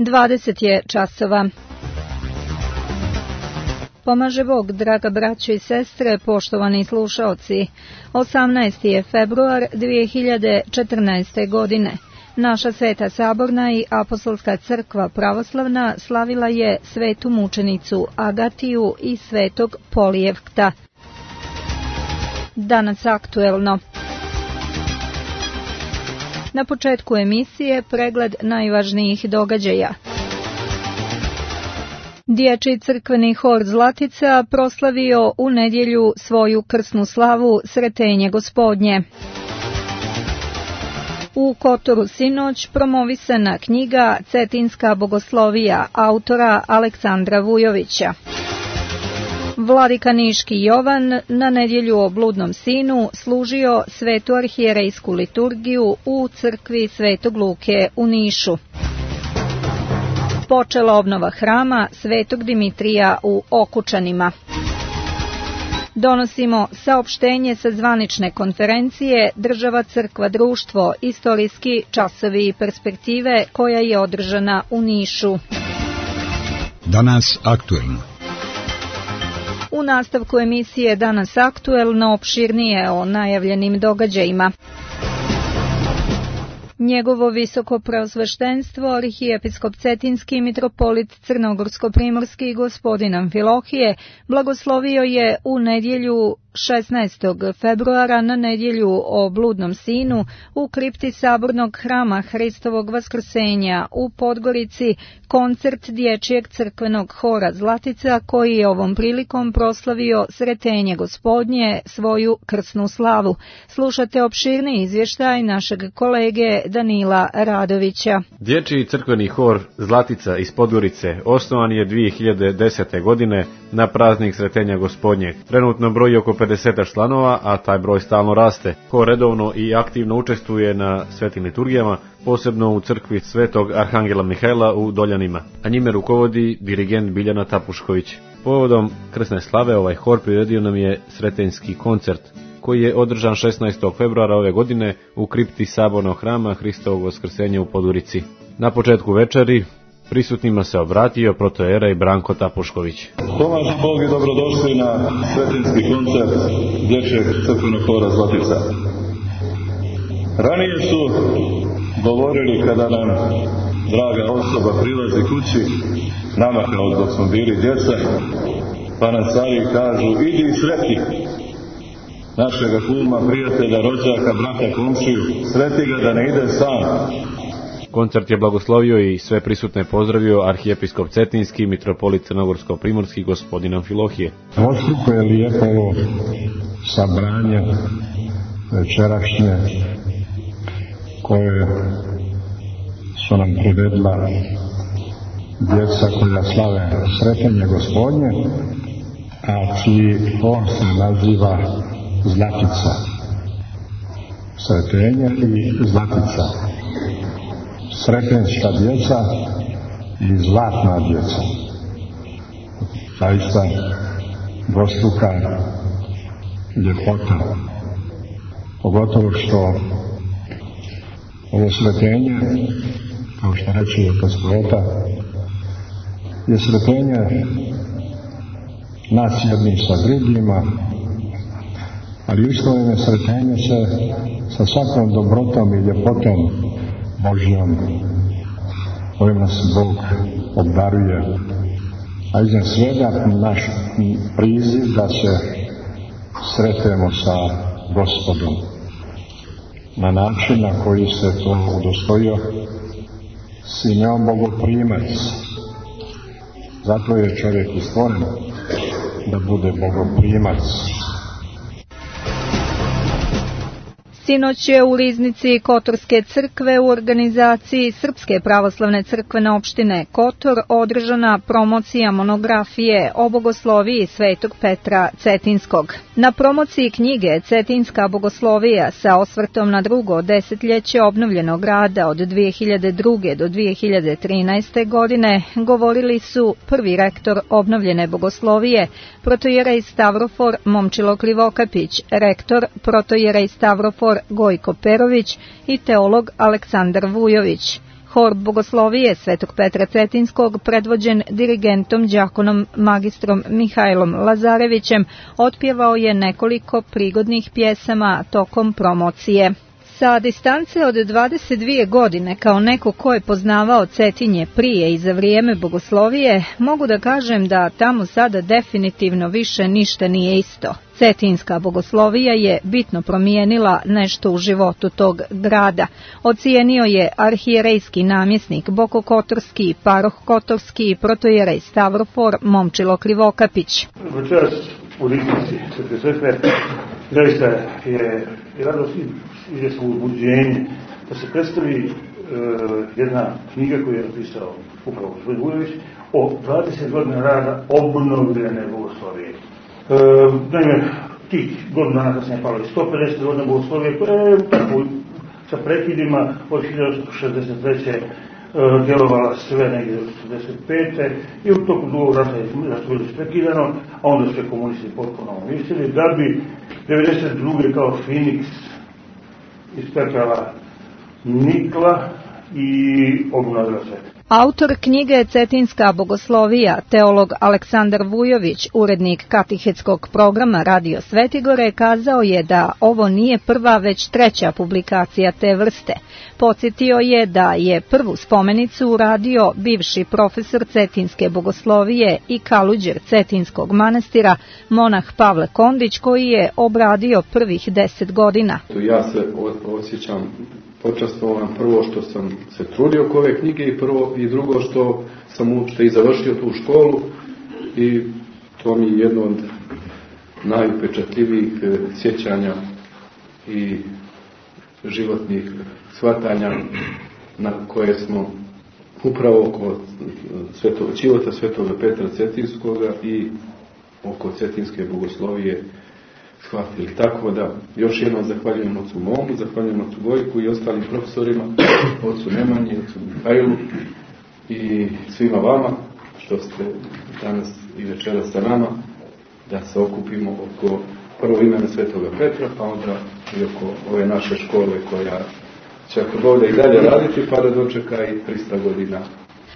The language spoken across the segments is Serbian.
20 je časova. Pomaže Bog, draga braćo i sestre, poštovani slušaoci. 18. je februar 2014. godine. Naša Sveta Saborna i Apostolska crkva pravoslavna slavila je svetu mučenicu Agatiju i svetog Polijevkta. Danas aktuelno. Na početku emisije pregled najvažnijih događaja. Dječji crkveni hor Zlatica proslavio u nedjelju svoju krsnu slavu Sretenje Gospodnje. U Kotoru sinoć promovisana knjiga Cetinska bogoslovija autora Aleksandra Vujovića. Vladika Niški Jovan na nedjelju o bludnom sinu služio svetu arhijerejsku liturgiju u crkvi Svetog Luke u Nišu. Počela obnova hrama Svetog Dimitrija u Okučanima. Donosimo saopštenje sa zvanične konferencije Država, crkva, društvo, istorijski časovi i perspektive koja je održana u Nišu. Danas aktuelno. U nastavku emisije Danas aktuelno opširnije o najavljenim događajima. Njegovo visoko preosveštenstvo, arhijepiskop Cetinski mitropolit Crnogorsko-primorski gospodin Amfilohije, blagoslovio je u nedjelju 16. februara na nedjelju o bludnom sinu u kripti Sabornog hrama Hristovog Vaskrsenja u Podgorici koncert dječjeg crkvenog hora Zlatica koji je ovom prilikom proslavio Sretenje Gospodnje, svoju krsnu slavu. Slušate opširni izvještaj našeg kolege Danila Radovića. Dječji crkveni hor Zlatica iz Podgorice osnovan je 2010. godine na praznik Sretenja Gospodnjeg. Trenutno broji oko 50 članova, a taj broj stalno raste. Hor redovno i aktivno učestvuje na svetim liturgijama, posebno u crkvi Svetog Arhangela Mihajla u Doljanima, a njime rukovodi dirigent Biljana Tapušković. Povodom krsne slave ovaj hor priredio nam je sretenjski koncert, koji je održan 16. februara ove godine u kripti Sabornog hrama Hristovog Vaskrsenja u Podgorici. Na početku večeri prisutnima se obratio protojerej Branko Tapušković. Pomaže Bog i dobrodošli na svetinski koncert dječjeg crkvenog hora Zlatica. Ranije su govorili kada nam draga osoba prilazi kući, nama kao dok smo bili djeca, pa nam stari kažu idi sreti našega kuma, prijatelja, rođaka, brata, komšiju, sreti ga da ne ide sam. Koncert je blagoslovio i sve prisutne pozdravio arhijepiskop Cetinski, mitropolit Crnogorsko-primorski gospodin Amfilohije. Oštruko je lijepo ovo sabranje večerašnje koje su nam priredila djeca koja slave Sretenje Gospodnje, a čiji hor se naziva Zlatica. Sretenje i Zlatica. Sretenjska djeca i zlatna djeca. Zaista dvostruka ljepota. Pogotovo što ovo sretenje, kao što reče Gospoda, je sretenje nas jednim sa drugima, ali istovremeno sretenje se sa svakom dobrotom i ljepotom Božjom, kojim nas Bog obdaruje, a iznad svega naš priziv da se sretemo sa Gospodom na način na koji se to udostojio Simeon Bogoprimac. Zato je čovjek i stvoren da bude Bogoprimac. Sinoć je u riznici Kotorske crkve u organizaciji Srpske pravoslavne crkvene opštine Kotor održana promocija monografije o bogosloviji Svetog Petra Cetinskog. Na promociji knjige Cetinska bogoslovija sa osvrtom na drugo desetljeće obnovljenog rada od 2002. do 2013. godine govorili su prvi rektor obnovljene bogoslovije, protojerej Stavrofor Momčilo Krivokapić, rektor protojerej Stavrofor Gojko Perović i teolog Aleksandar Vujović. Hor bogoslovije Svetog Petra Cetinskog, predvođen dirigentom đakonom magistrom Mihajlom Lazarevićem, otpjevao je nekoliko prigodnih pjesama tokom promocije. Sa distance od 22 godine, kao neko ko je poznavao Cetinje prije i za vrijeme bogoslovije, mogu da kažem da tamo sada definitivno više ništa nije isto. Cetinska bogoslovija je bitno promijenila nešto u životu tog grada. Ocijenio je arhijerejski namjesnik Bokokotorski, paroh Kotorski, protojerej Stavrofor Momčilo Krivokapić. Večeras u ličnosti Svete Crkve zaista je radost i izvjesno uzbuđenje da se predstavi jedna knjiga koju je napisao upravo gospodin Vujović o 20 godina rada obnovljene bogoslovije. Naime, tih godina dana kasnije palo 150 godina bogoslovije, tako sa prekidima od 1863. Djelovala sve negdje do 1945. i u toku drugog rata je bilo prekidano, a onda su komunisti potpuno uništili, da bi 1992. kao Finiks ispekala nikla i obnovila se. Autor knjige Cetinska bogoslovija, teolog Aleksandar Vujović, urednik katehetskog programa Radio Svetigore, kazao je da ovo nije prva već treća publikacija te vrste. Podsjetio je da je prvu spomenicu uradio bivši profesor Cetinske bogoslovije i kaluđer Cetinskog manastira, monah Pavle Kondić, koji je obradio prvih 10 godina. Ja se osjećam počastvovan prvo što sam se trudio oko ove knjige i drugo što sam uopšte i završio tu školu i to mi je jedno od najupečatljivijih sjećanja i životnih shvatanja na koje smo upravo oko života Svetoga Petra Cetinskoga i oko Cetinske bogoslovije shvatili. Tako da još jednom zahvaljujem ocu Momu, zahvaljujem ocu Gojku i ostalim profesorima, ocu Nemanji, ocu Mihajlu i svima vama što ste danas i večeras sa nama, da se okupimo oko prvo imena Svetoga Petra, pa onda i oko ove naše škole koja će ako bude i dalje raditi, pa da dočeka i 300 godina.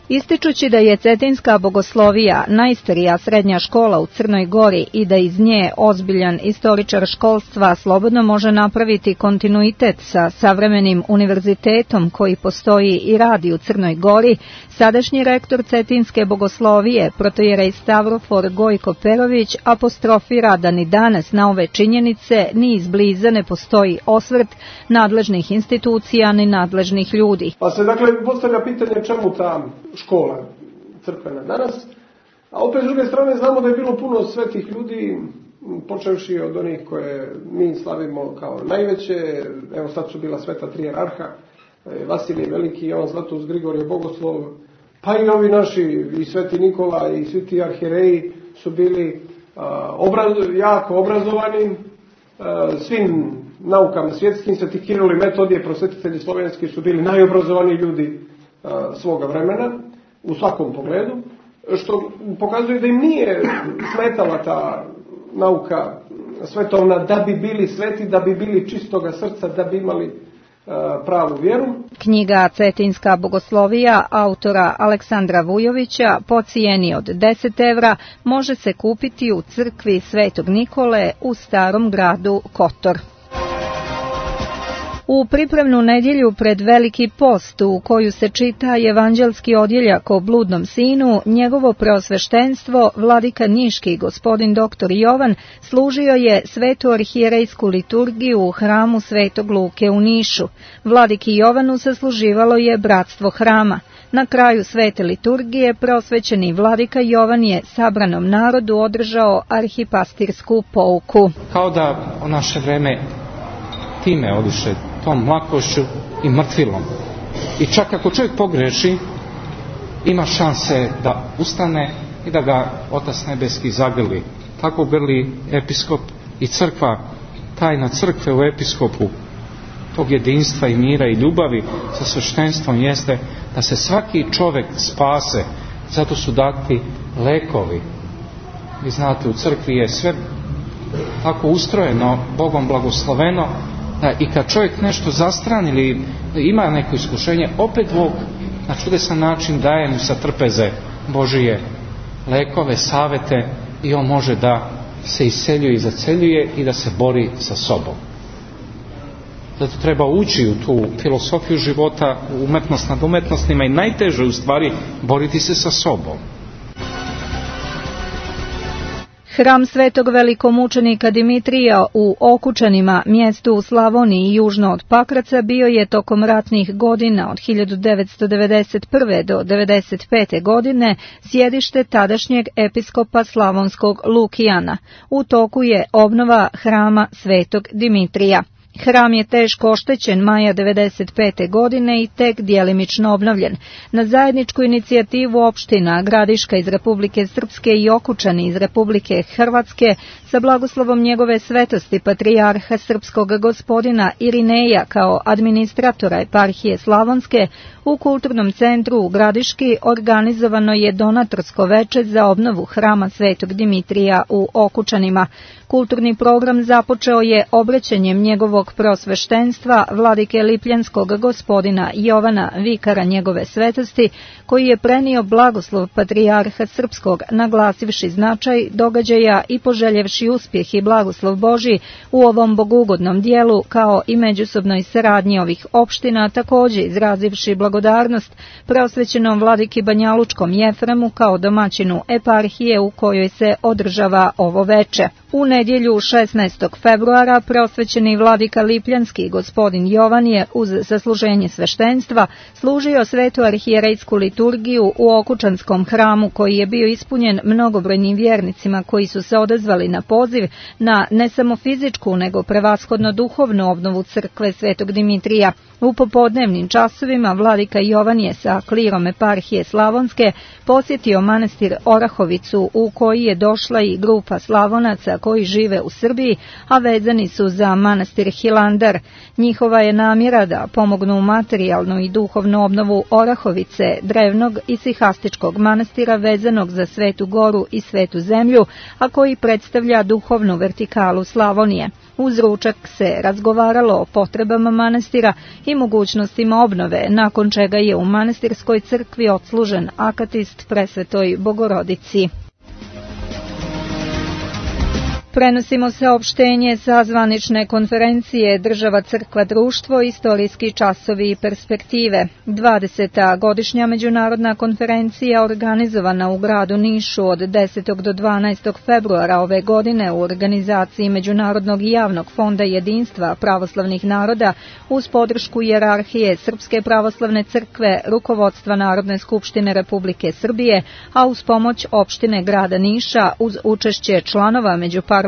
Ističući da je Cetinska bogoslovija najstarija srednja škola u Crnoj Gori i da iz nje ozbiljan istoričar školstva slobodno može napraviti kontinuitet sa savremenim univerzitetom koji postoji i radi u Crnoj Gori, sadašnji rektor Cetinske bogoslovije, protojerej Stavrofor Gojko Perović, apostrofira da ni danas na ove činjenice ni izbliza ne postoji osvrt nadležnih institucija ni nadležnih ljudi. Pa se dakle postavlja pitanje čemu ta škola crkvena danas, a opet s druge strane znamo da je bilo puno svetih ljudi, počevši od onih koje mi slavimo kao najveće, evo sad su bila sveta tri jerarha, Vasilij Veliki, Jovan Zlatus, Grigorije Bogoslov, pa i ovi naši, i sveti Nikola i svi ti arhijereji su bili jako obrazovani, svim naukama svjetskim, sveti Kiril i Metodije, prosvetitelji slovenski su bili najobrazovaniji ljudi svoga vremena u svakom pogledu, što pokazuje da im nije smetala ta nauka svetovna da bi bili sveti, da bi bili čistoga srca, da bi imali pravu vjeru. Knjiga Cetinska bogoslovija autora Aleksandra Vujovića po cijeni od 10 evra može se kupiti u crkvi Svetog Nikole u Starom gradu Kotor. U pripremnu nedjelju pred Veliki post, u koju se čita evanđelski odjeljak o bludnom sinu, njegovo preosveštenstvo, vladika Niški gospodin dr. Jovan, služio je svetu arhijerejsku liturgiju u hramu Svetog Luke u Nišu. Vladiki Jovanu sasluživalo je bratstvo hrama. Na kraju svete liturgije preosvećeni vladika Jovan je sabranom narodu održao arhipastirsku pouku. Kao da u naše vreme time odiše tom lakošću i mrtvilom. I čak ako čovjek pogreši, ima šanse da ustane i da ga Otac Nebeski zagrli. Tako grli episkop i crkva, tajna crkve u episkopu tog jedinstva i mira i ljubavi sa sveštenstvom jeste da se svaki čovjek spase. Zato su dati lekovi. Vi znate, u crkvi je sve tako ustrojeno, Bogom blagosloveno, da i kad čovjek nešto zastrani ili ima neko iskušenje, opet Bog na čudesan način daje mu sa trpeze Božije lekove, savete i on može da se iseljuje i zaceljuje i da se bori sa sobom. Zato treba ući u tu filosofiju života, umetnost nad umetnostima i najteže u stvari boriti se sa sobom. Hram svetog velikomučenika Dimitrija u Okučanima, mjestu u Slavoniji južno od Pakraca, bio je tokom ratnih godina od 1991. do 1995. godine sjedište tadašnjeg episkopa slavonskog Lukijana. U toku je obnova hrama svetog Dimitrija. Hram je teško oštećen maja 1995. godine i tek djelimično obnovljen. Na zajedničku inicijativu opština Gradiška iz Republike Srpske i Okučani iz Republike Hrvatske sa blagoslovom njegove svetosti patrijarha srpskog gospodina Irineja kao administratora eparhije Slavonske, u kulturnom centru u Gradiški organizovano je donatorsko veče za obnovu hrama svetog Dimitrija u Okučanima. Kulturni program započeo je obraćanjem njegovog prosveštenstva vladike Lipljanskog gospodina Jovana, vikara njegove svetosti, koji je prenio blagoslov patrijarha srpskog, naglasivši značaj događaja i poželjevši uspjeh i blagoslov Božji u ovom bogugodnom dijelu, kao i međusobnoj saradnji ovih opština, također izrazivši blagodarnost preosvećenom vladiki Banjalučkom Jefremu kao domaćinu eparhije u kojoj se održava ovo veče. U nedjelju 16. februara preosvećeni vladika Lipljanski gospodin Jovan je uz zasluženje sveštenstva služio svetu arhijerejsku liturgiju u Okučanskom hramu, koji je bio ispunjen mnogobrojnim vjernicima koji su se odazvali na poziv na ne samo fizičku nego prevashodno duhovnu obnovu crkve svetog Dimitrija. U popodnevnim časovima vladika Jovan je sa klirom eparhije Slavonske posjetio manastir Orahovicu, u koji je došla i grupa Slavonaca koji žive u Srbiji, a vezani su za manastir Hilandar. Njihova je namjera da pomognu materijalnu i duhovnu obnovu Orahovice, drevnog i sihastičkog manastira vezanog za Svetu Goru i Svetu Zemlju, a koji predstavlja duhovnu vertikalu Slavonije. Uz ručak se razgovaralo o potrebama manastira i mogućnostima obnove, nakon čega je u manastirskoj crkvi odslužen akatist presvetoj Bogorodici. Prenosimo saopštenje sa zvanične konferencije Država, crkva, društvo, istorijski časovi i perspektive. 20. godišnja međunarodna konferencija organizovana u gradu Nišu od 10. do 12. februara ove godine u organizaciji Međunarodnog i javnog fonda jedinstva pravoslavnih naroda uz podršku hijerarhije Srpske pravoslavne crkve, rukovodstva Narodne skupštine Republike Srbije, a uz pomoć opštine grada Niša uz učešće članova Međuparlamentarne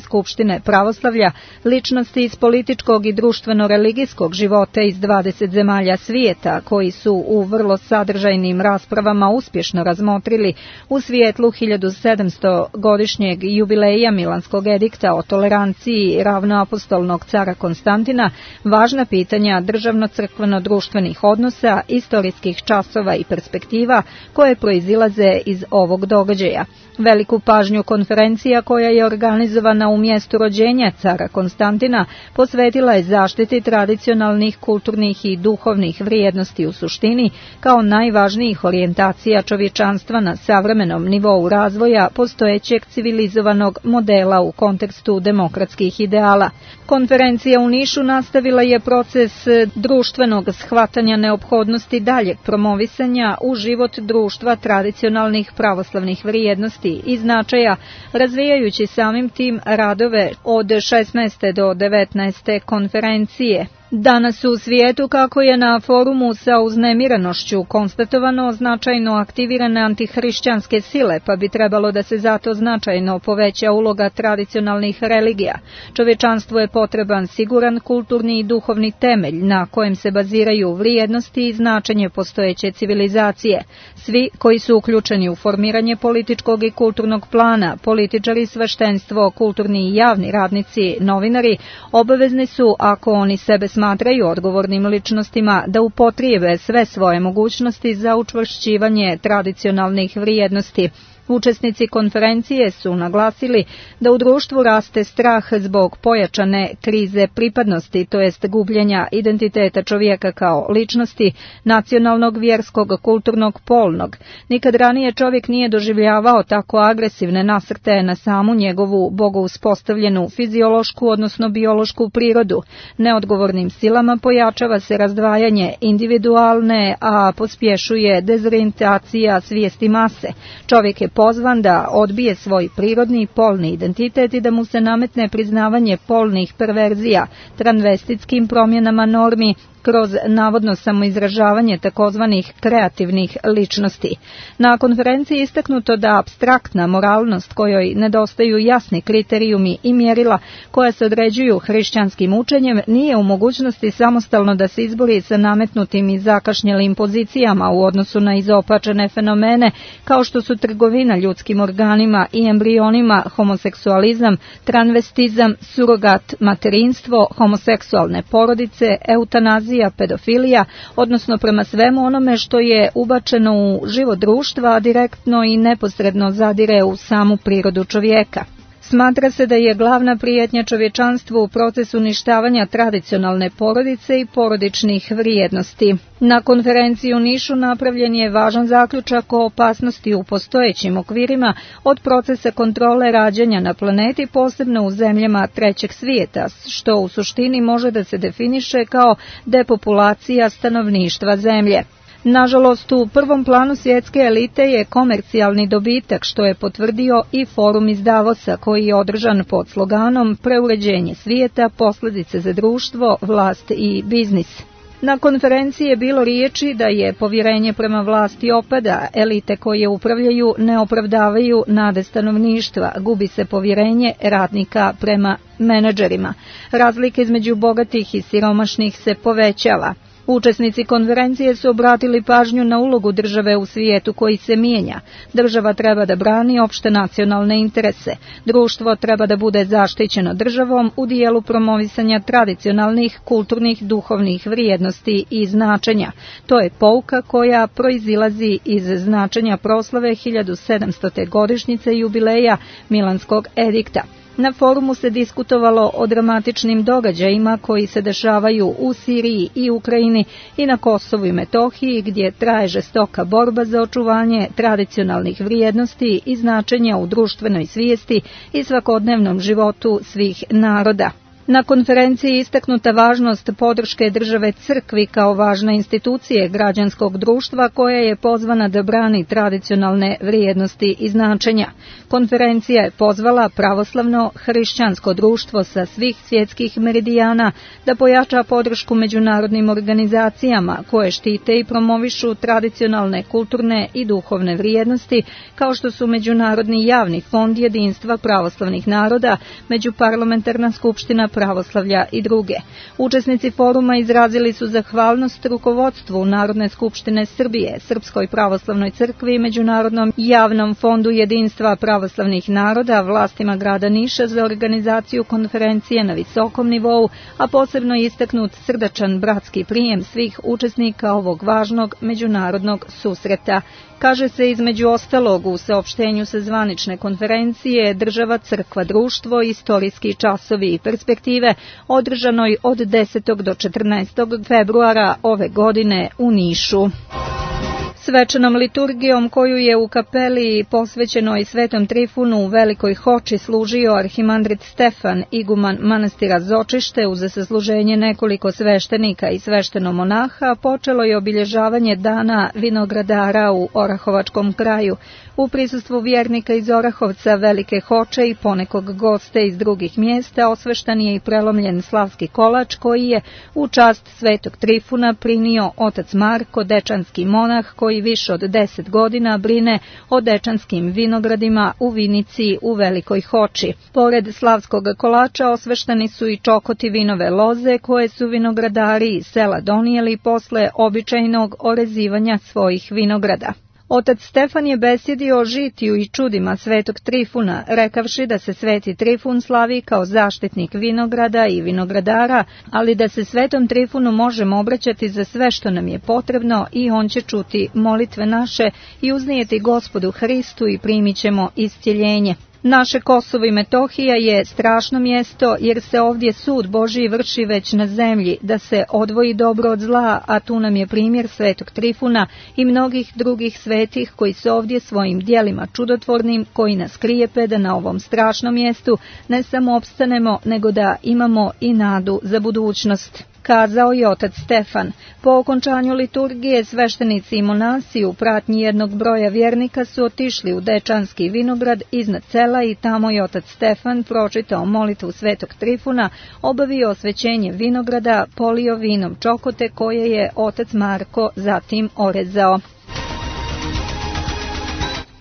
skupštine pravoslavlja, ličnosti iz političkog i društveno-religijskog života iz 20 zemalja svijeta, koji su u vrlo sadržajnim raspravama uspješno razmotrili u svijetlu 1700 godišnjeg jubileja Milanskog edikta o toleranciji ravnoapostolnog cara Konstantina, važna pitanja državno-crkveno-društvenih odnosa, istorijskih časova i perspektiva koje proizilaze iz ovog događaja. Veliku pažnju konferencija, koja je organizovana u mjestu rođenja cara Konstantina, posvetila je zaštiti tradicionalnih, kulturnih i duhovnih vrijednosti u suštini, kao najvažnijih orijentacija čovječanstva na savremenom nivou razvoja postojećeg civilizovanog modela u kontekstu demokratskih ideala. Konferencija u Nišu nastavila je proces društvenog shvatanja neophodnosti daljeg promovisanja u život društva tradicionalnih pravoslavnih vrijednosti i značaja, razvijajući samim tim radove od 16. do 19. konferencije. Danas u svijetu, kako je na forumu sa uznemirenošću konstatovano, značajno aktivirane antihrišćanske sile, pa bi trebalo da se zato značajno poveća uloga tradicionalnih religija. Čovječanstvu je potreban siguran kulturni i duhovni temelj na kojem se baziraju vrijednosti i značenje postojeće civilizacije. Svi koji su uključeni u formiranje političkog i kulturnog plana, političari, sveštenstvo, kulturni i javni radnici, novinari, obavezni su, ako oni sebe smatraju odgovornim ličnostima, da upotrijebe sve svoje mogućnosti za učvršćivanje tradicionalnih vrijednosti. Učesnici konferencije su naglasili da u društvu raste strah zbog pojačane krize pripadnosti, to jest gubljenja identiteta čovjeka kao ličnosti, nacionalnog, vjerskog, kulturnog, polnog. Nikad ranije čovjek nije doživljavao tako agresivne nasrtaje na samu njegovu bogouspostavljenu fiziološku, odnosno biološku prirodu. Neodgovornim silama pojačava se razdvajanje individualne, a pospješuje dezorijentacija svijesti mase. Čovjek je pozvan da odbije svoj prirodni polni identitet i da mu se nametne priznavanje polnih perverzija, transvestitskim promjenama normi, kroz navodno samoizražavanje takozvanih kreativnih ličnosti. Na konferenciji istaknuto da apstraktna moralnost kojoj nedostaju jasni kriterijumi i mjerila koja se određuju hrišćanskim učenjem nije u mogućnosti samostalno da se izbori sa nametnutim i zakašnjelim pozicijama u odnosu na izopačene fenomene kao što su trgovina ljudskim organima i embrionima, homoseksualizam, transvestizam, surogat materinstvo, homoseksualne porodice, eutanazija, pedofilija, odnosno prema svemu onome što je ubačeno u život društva, a direktno i neposredno zadire u samu prirodu čovjeka. Smatra se da je glavna prijetnja čovječanstvu u procesu uništavanja tradicionalne porodice i porodičnih vrijednosti. Na konferenciji u Nišu napravljen je važan zaključak o opasnosti u postojećim okvirima od procesa kontrole rađanja na planeti, posebno u zemljama trećeg svijeta, što u suštini može da se definiše kao depopulacija stanovništva zemlje. Nažalost, u prvom planu svjetske elite je komercijalni dobitak, što je potvrdio i forum iz Davosa, koji je održan pod sloganom Preuređenje svijeta, posljedice za društvo, vlast i biznis. Na konferenciji je bilo riječi da je povjerenje prema vlasti opada, elite koje upravljaju ne opravdavaju nade stanovništva, gubi se povjerenje radnika prema menadžerima. Razlike između bogatih i siromašnih se povećava. Učesnici konferencije su obratili pažnju na ulogu države u svijetu koji se mijenja. Država treba da brani opšte nacionalne interese. Društvo treba da bude zaštićeno državom u dijelu promovisanja tradicionalnih, kulturnih, duhovnih vrijednosti i značenja. To je pouka koja proizilazi iz značenja proslave 1700. godišnjice jubileja Milanskog edikta. Na forumu se diskutovalo o dramatičnim događajima koji se dešavaju u Siriji i Ukrajini i na Kosovu i Metohiji, gdje traje žestoka borba za očuvanje tradicionalnih vrijednosti i značenja u društvenoj svijesti i svakodnevnom životu svih naroda. Na konferenciji istaknuta važnost podrške države crkvi kao važne institucije građanskog društva koja je pozvana da brani tradicionalne vrijednosti i značenja. Konferencija je pozvala pravoslavno hrišćansko društvo sa svih svjetskih meridijana da pojača podršku međunarodnim organizacijama koje štite i promovišu tradicionalne kulturne i duhovne vrijednosti kao što su Međunarodni javni fond jedinstva pravoslavnih naroda, Međuparlamentarna skupština pravoslavlja i druge. Učesnici foruma izrazili su zahvalnost rukovodstvu Narodne skupštine Srbije, Srpskoj pravoslavnoj crkvi i Međunarodnom javnom fondu jedinstva pravoslavnih naroda, vlastima grada Niša za organizaciju konferencije na visokom nivou, a posebno je istaknut srdačan bratski prijem svih učesnika ovog važnog međunarodnog susreta. Kaže se između ostalog u saopštenju sa zvanične konferencije Država, crkva, društvo, istorijski časovi i perspektive održanoj od 10. do 14. februara ove godine u Nišu. Svečanom liturgijom koju je u kapeli posvećenoj Svetom Trifunu u Velikoj Hoči služio arhimandrit Stefan, iguman manastira Zočište, uz sasluženje nekoliko sveštenika i sveštenomonaha, počelo je obilježavanje dana vinogradara u Orahovačkom kraju. U prisustvu vjernika iz Orahovca, Velike Hoče i ponekog goste iz drugih mjesta osveštan je i prelomljen slavski kolač koji je u čast Svetog Trifuna prinio otac Marko, dečanski monah koji više od 10 godina brine o dečanskim vinogradima u Vinici u Velikoj Hoči. Pored slavskog kolača osveštani su i čokoti vinove loze koje su vinogradari iz sela donijeli posle običajnog orezivanja svojih vinograda. Otac Stefan je besjedio o žitiju i čudima svetog Trifuna, rekavši da se sveti Trifun slavi kao zaštitnik vinograda i vinogradara, ali da se svetom Trifunu možemo obraćati za sve što nam je potrebno i on će čuti molitve naše i uznijeti Gospodu Hristu i primit ćemo iscjeljenje. Naše Kosovo i Metohija je strašno mjesto jer se ovdje sud Božji vrši već na zemlji, da se odvoji dobro od zla, a tu nam je primjer svetog Trifuna i mnogih drugih svetih koji su ovdje svojim djelima čudotvornim, koji nas krijepe da na ovom strašnom mjestu ne samo opstanemo, nego da imamo i nadu za budućnost. Kazao je otac Stefan. Po okončanju liturgije sveštenici i monasi u pratnji jednog broja vjernika su otišli u Dečanski vinograd iznad sela i tamo je otac Stefan pročitao molitvu svetog Trifuna, obavio osvećenje vinograda, polio vinom čokote koje je otac Marko zatim orezao.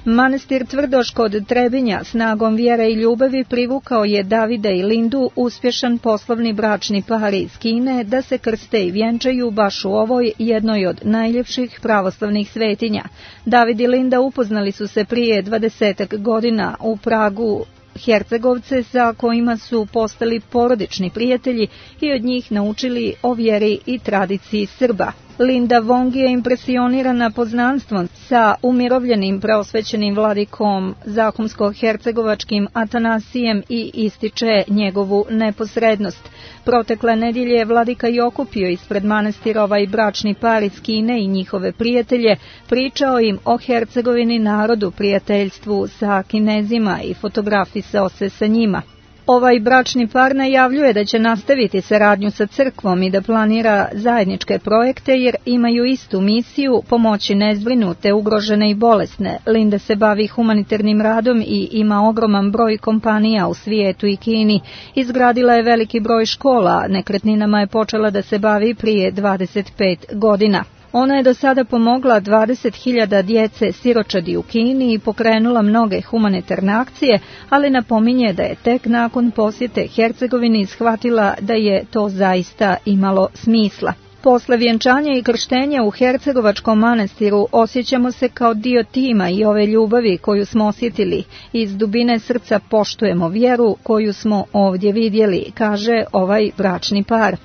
Manastir Tvrdoš kod Trebinja snagom vjere i ljubavi privukao je Davida i Lindu, uspješan poslovni bračni par iz Kine, da se krste i vjenčaju baš u ovoj jednoj od najljepših pravoslavnih svetinja. David i Linda upoznali su se prije 20 godina u Pragu, Hercegovce sa kojima su postali porodični prijatelji i od njih naučili o vjeri i tradiciji Srba. Linda Wong je impresionirana poznanstvom sa umirovljenim preosvećenim vladikom Zahumsko-hercegovačkim Atanasijem i ističe njegovu neposrednost. Protekle nedjelje vladika je okupio ispred manastira ovaj bračni par iz Kine i njihove prijatelje, pričao im o Hercegovini, narodu, prijateljstvu sa Kinezima i fotografisao se sa njima. Ovaj bračni par najavljuje da će nastaviti saradnju sa crkvom i da planira zajedničke projekte jer imaju istu misiju pomoći nezbrinute, ugrožene i bolesne. Linda se bavi humanitarnim radom i ima ogroman broj kompanija u svijetu i Kini. Izgradila je veliki broj škola, nekretninama je počela da se bavi prije 25 godina. Ona je do sada pomogla 20.000 djece siročadi u Kini i pokrenula mnoge humanitarne akcije, ali napominje da je tek nakon posjete Hercegovini shvatila da je to zaista imalo smisla. Posle vjenčanja i krštenja u Hercegovačkom manastiru osjećamo se kao dio tima i ove ljubavi koju smo osjetili. Iz dubine srca poštujemo vjeru koju smo ovdje vidjeli, kaže ovaj bračni par.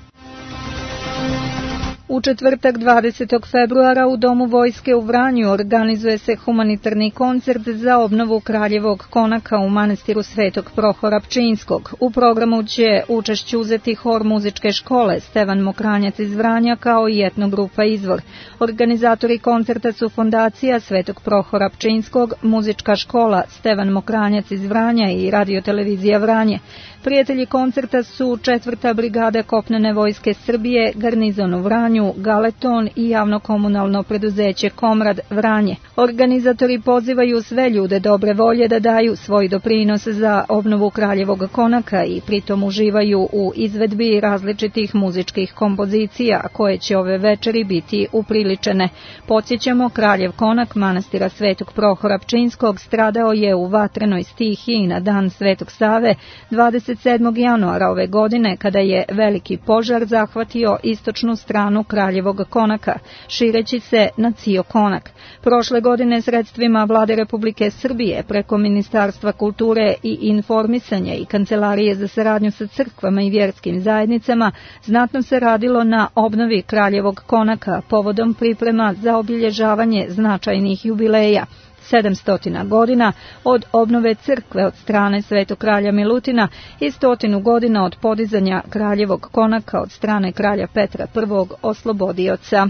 U četvrtak 20. februara u Domu vojske u Vranju organizuje se humanitarni koncert za obnovu kraljevog konaka u manastiru Svetog Prohora Pčinjskog. U programu će učešće uzeti hor muzičke škole Stevan Mokranjac iz Vranja kao i etnogrupa Izvor. Organizatori koncerta su Fondacija Svetog Prohora Pčinjskog, muzička škola Stevan Mokranjac iz Vranja i radiotelevizija Vranje. Prijatelji koncerta su 4. brigada kopnene vojske Srbije, garnizon u Vranju, Galeton i javno-komunalno preduzeće Komrad Vranje. Organizatori pozivaju sve ljude dobre volje da daju svoj doprinos za obnovu kraljevog konaka i pritom uživaju u izvedbi različitih muzičkih kompozicija koje će ove večeri biti upriličene. Podsjećamo, kraljev konak manastira Svetog Prohora Pčinjskog stradao je u vatrenoj stihiji na dan Svetog Save 27. januara ove godine kada je veliki požar zahvatio istočnu stranu kraljevog konaka, šireći se na cio konak. Prošle godine sredstvima Vlade Republike Srbije preko Ministarstva kulture i informisanja i Kancelarije za saradnju sa crkvama i vjerskim zajednicama znatno se radilo na obnovi kraljevog konaka povodom priprema za obilježavanje značajnih jubileja. 700 godina od obnove crkve od strane Svetog kralja Milutina i 100 godina od podizanja kraljevog konaka od strane kralja Petra I. Oslobodioca.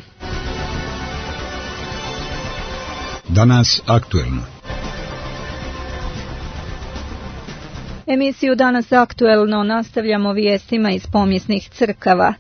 Danas aktuelno. Emisiju Danas aktuelno nastavljamo vijestima iz pomjesnih crkava.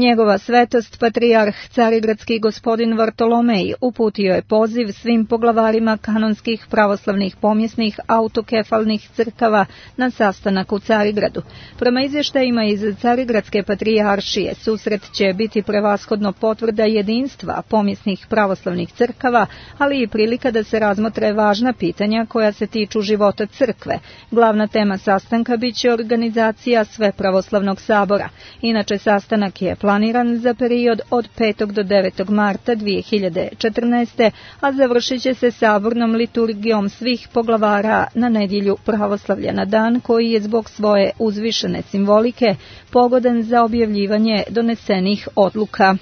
Njegova svetost, patrijarh carigradski gospodin Vartolomej, uputio je poziv svim poglavarima kanonskih pravoslavnih pomjesnih autokefalnih crkava na sastanak u Carigradu. Prema izvještajima iz Carigradske patrijaršije, susret će biti prevashodno potvrda jedinstva pomjesnih pravoslavnih crkava, ali i prilika da se razmotre važna pitanja koja se tiču života crkve. Glavna tema sastanka biće organizacija Svepravoslavnog sabora. Inače, sastanak je planiran planiran za period od 5. do 9. marta 2014. a završit će se sabornom liturgijom svih poglavara na nedjelju pravoslavlja na dan koji je zbog svoje uzvišene simbolike pogodan za objavljivanje donesenih odluka.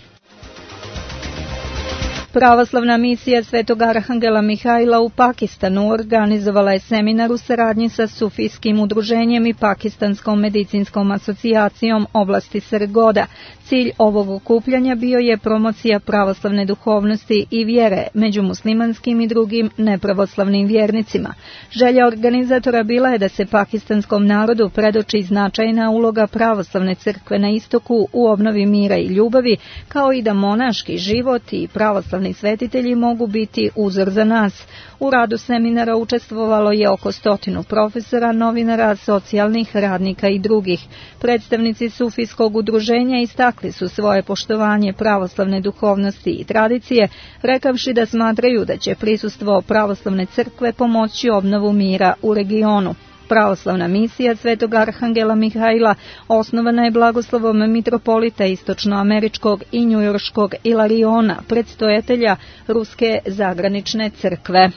Pravoslavna misija Svetog Arhangela Mihajla u Pakistanu organizovala je seminar u saradnji sa Sufijskim udruženjem i Pakistanskom medicinskom asocijacijom oblasti Srgoda. Cilj ovog okupljanja bio je promocija pravoslavne duhovnosti i vjere među muslimanskim i drugim nepravoslavnim vjernicima. Želja organizatora bila je da se pakistanskom narodu predoči značajna uloga pravoslavne crkve na istoku u obnovi mira i ljubavi, kao i da monaški život i pravoslavni svetitelji mogu biti uzor za nas. U radu seminara učestvovalo je oko 100 profesora, novinara, socijalnih radnika i drugih. Predstavnici Sufijskog udruženja istakli su svoje poštovanje pravoslavne duhovnosti i tradicije, rekavši da smatraju da će prisustvo pravoslavne crkve pomoći obnovu mira u regionu. Pravoslavna misija Svetog Arhangela Mihajla osnovana je blagoslovom mitropolita istočnoameričkog i njujorškog Ilariona, predstojatelja Ruske zagranične crkve.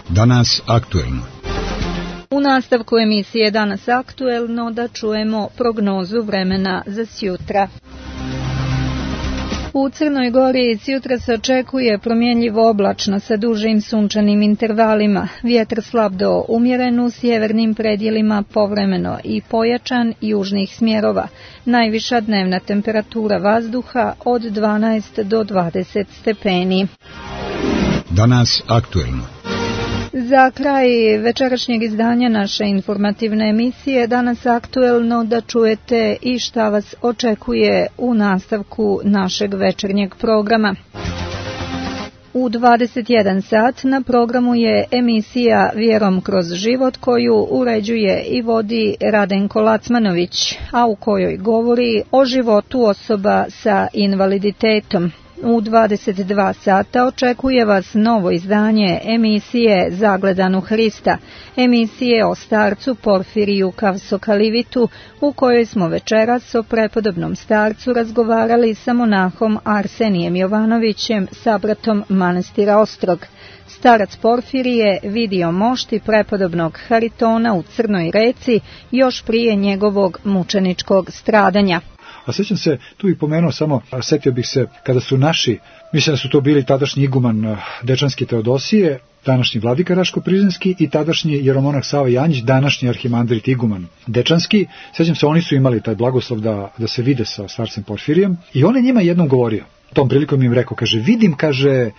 Danas aktuelno. U nastavku emisije Danas aktuelno da čujemo prognozu vremena za sjutra. U Crnoj Gori sjutra se očekuje promjenljivo oblačno sa dužim sunčanim intervalima, vjetar slab do umjeren u sjevernim predjelima, povremeno i pojačan južnih smjerova. Najviša dnevna temperatura vazduha od 12 do 20 stepeni. Danas aktuelno. Za kraj večerašnjeg izdanja naše informativne emisije Danas aktuelno da čujete i šta vas očekuje u nastavku našeg večernjeg programa. U 21 sat na programu je emisija Vjerom kroz život koju uređuje i vodi Radenko Lacmanović, a u kojoj govori o životu osoba sa invaliditetom. U 22 sata očekuje vas novo izdanje emisije Zagledan u Hrista, emisije o starcu Porfiriju Kavsokalivitu, u kojoj smo večeras o prepodobnom starcu razgovarali sa monahom Arsenijem Jovanovićem, sabratom manastira Ostrog. Starac Porfirije vidio mošti prepodobnog Haritona u Crnoj Reci još prije njegovog mučeničkog stradanja. A sjećam se, tu i pomenuo samo, setio bih se kada su naši, mislim da su to bili tadašnji iguman Dečanski Teodosije, današnji vladika Raško-Prizrenski i tadašnji jeromonah Sava Janjić, današnji arhimandrit iguman Dečanski. Sjećam se, oni su imali taj blagoslov da se vide sa starcem Porfirijem i on je njima jednom govorio. Tom prilikom im rekao, kaže, vidim, kaže,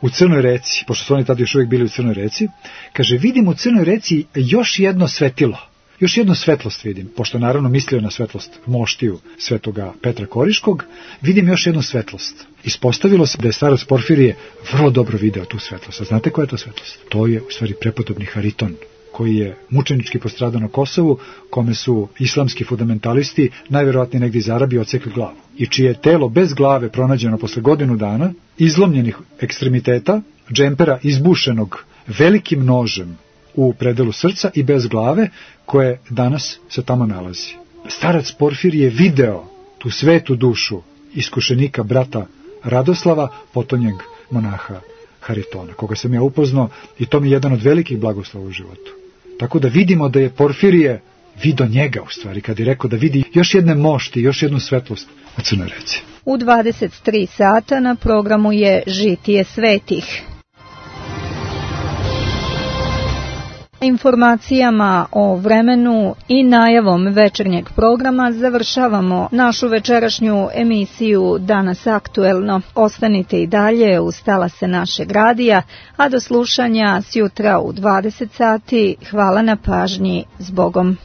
u Crnoj Reci, pošto su oni tada još uvijek bili u Crnoj Reci, kaže, vidim u Crnoj Reci još jedno svetilo. Još jednu svetlost vidim, pošto naravno mislio na svetlost moštiju svetoga Petra Koriškog, vidim još jednu svetlost. Ispostavilo se da je starac Porfirije vrlo dobro video tu svetlost. A znate koja je to svetlost? To je u stvari prepodobni Hariton, koji je mučenički postradao na Kosovu, kome su islamski fundamentalisti najvjerojatnije negdje iz Arabije odsekli glavu. I čije je telo bez glave pronađeno posle godinu dana, izlomljenih ekstremiteta, džempera izbušenog velikim nožem u predelu srca i bez glave, koje danas se tamo nalazi. Starac Porfir je video tu svetu dušu iskušenika brata Radoslava, potonjeg monaha Haritona, koga sam ja upoznao i to mi je jedan od velikih blagoslova u životu. Tako da vidimo da je Porfirije video njega u stvari, kad je rekao da vidi još jedne mošti, još jednu svetlost u Crnoj Reci. U 23 sata na programu je Žitije svetih. Informacijama o vremenu i najavom večernjeg programa završavamo našu večerašnju emisiju Danas aktuelno. Ostanite i dalje uz talase našeg radija, a do slušanja sjutra u 20 sati. Hvala na pažnji, s Bogom.